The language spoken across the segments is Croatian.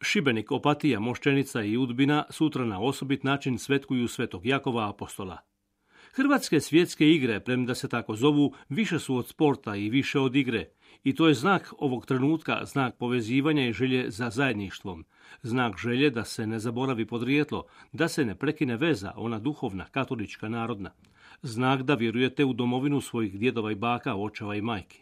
Šibenik, Opatija, Moščenica i Udbina sutra na osobit način svetkuju Svetog Jakova Apostola. Hrvatske svjetske igre, premda se tako zovu, više su od sporta i više od igre. I to je znak ovog trenutka, znak povezivanja i želje za zajedništvom. Znak želje da se ne zaboravi podrijetlo, da se ne prekine veza, ona duhovna, katolička, narodna. Znak da vjerujete u domovinu svojih djedova i baka, očeva i majki.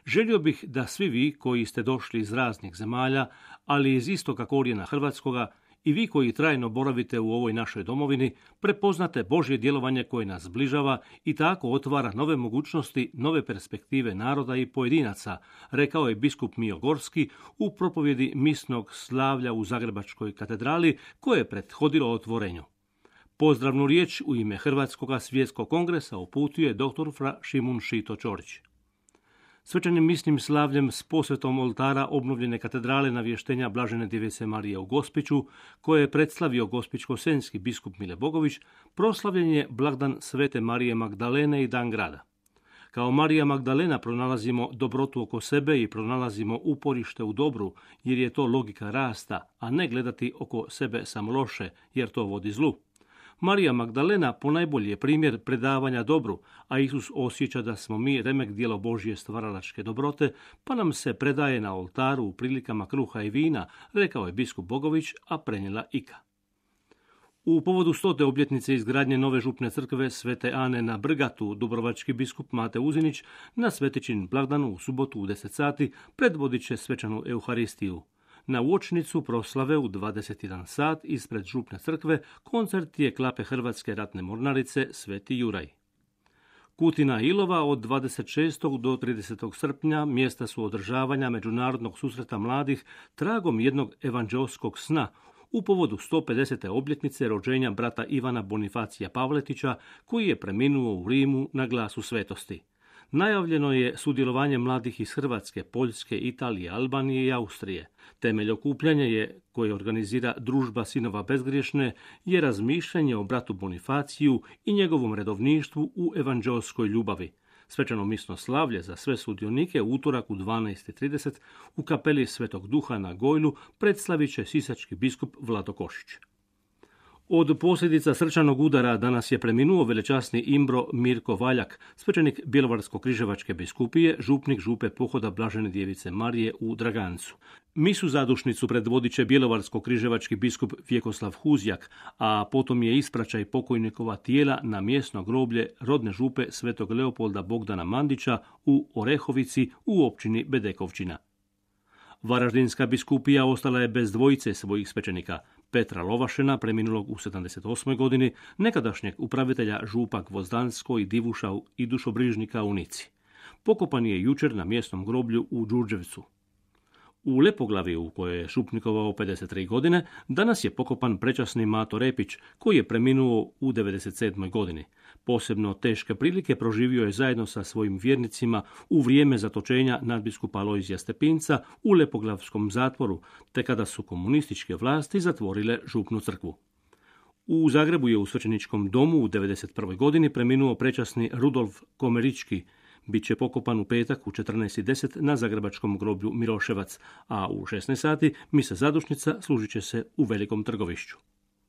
Želio bih da svi vi koji ste došli iz raznih zemalja, ali iz istoka korijena hrvatskoga, i vi koji trajno boravite u ovoj našoj domovini, prepoznate Božje djelovanje koje nas zbližava i tako otvara nove mogućnosti, nove perspektive naroda i pojedinaca, rekao je biskup Mijo Gorski u propovjedi misnog slavlja u Zagrebačkoj katedrali koje je prethodilo otvorenju. Pozdravnu riječ u ime Hrvatskog svjetskog kongresa uputio je dr. fra Šimun Šito Ćorić. Svečanim misnim slavljem s posvetom oltara obnovljene katedrale navještenja Blažene Djevice Marije u Gospiću, koje je predstavio gospićko-senjski biskup Mile Bogović, proslavljen je blagdan Svete Marije Magdalene i Dan grada. Kao Marija Magdalena pronalazimo dobrotu oko sebe i pronalazimo uporište u dobru, jer je to logika rasta, a ne gledati oko sebe samo loše, jer to vodi zlu. Marija Magdalena ponajbolji je primjer predavanja dobru, a Isus osjeća da smo mi remek djelo Božje stvaralačke dobrote, pa nam se predaje na oltaru u prilikama kruha i vina, rekao je biskup Bogović, a prenijela Ika. U povodu 100. obljetnice izgradnje nove župne crkve Svete Ane na Brgatu, dubrovački biskup Mate Uzinić na Svetičin blagdanu u subotu u 10 sati predvodit će svečanu Euharistiju. Na uočnicu proslave u 21 sat ispred župne crkve koncert je klape Hrvatske ratne mornarice Sveti Juraj. Kutina Ilova od 26. do 30. srpnja mjesta su održavanja međunarodnog susreta mladih tragom jednog evanđeoskog sna u povodu 150. obljetnice rođenja brata Ivana Bonifacija Pavletića, koji je preminuo u Rimu na glasu svetosti. Najavljeno je sudjelovanje mladih iz Hrvatske, Poljske, Italije, Albanije i Austrije. Temelj okupljanja je, koje organizira Družba sinova bezgriješne, je razmišljanje o bratu Bonifaciju i njegovom redovništvu u evanđeoskoj ljubavi. Svečano misno slavlje za sve sudionike u utorak u 12:30 u kapeli Svetog Duha na Gojlu predstavit će sisački biskup Vlado Košić. Od posljedica srčanog udara danas je preminuo velečasni imbro Mirko Valjak, svećenik Bjelovarsko-križevačke biskupije, župnik župe Pohoda Blažene Djevice Marije u Dragancu. Misu zadušnicu predvodit će Bjelovarsko-križevački biskup Vjekoslav Huzjak, a potom je ispraćaj pokojnikova tijela na mjesno groblje rodne župe Svetog Leopolda Bogdana Mandića u Orehovici u općini Bedekovčina. Varaždinska biskupija ostala je bez dvojice svojih svećenika, Petra Lovašena, preminulog u 78. godini, nekadašnjeg upravitelja župa Gvozdansko i Divuša i dušobrižnika u Nici. Pokopan je jučer na mjesnom groblju u Đurđevcu. U Lepoglavi, u kojoj je župnikovao 53 godine, danas je pokopan prečasni Mato Repić, koji je preminuo u 97. godini. Posebno teške prilike proživio je zajedno sa svojim vjernicima u vrijeme zatočenja nadbiskupa Alojzija Stepinca u Lepoglavskom zatvoru, te kada su komunističke vlasti zatvorile župnu crkvu. U Zagrebu je u svećeničkom domu u 91. godini preminuo prečasni Rudolf Komerički. Biće pokopan u petak u 14:10 na zagrebačkom groblju Miroševac, a u 16 sati misa zadušnica služit će se u Velikom Trgovišću.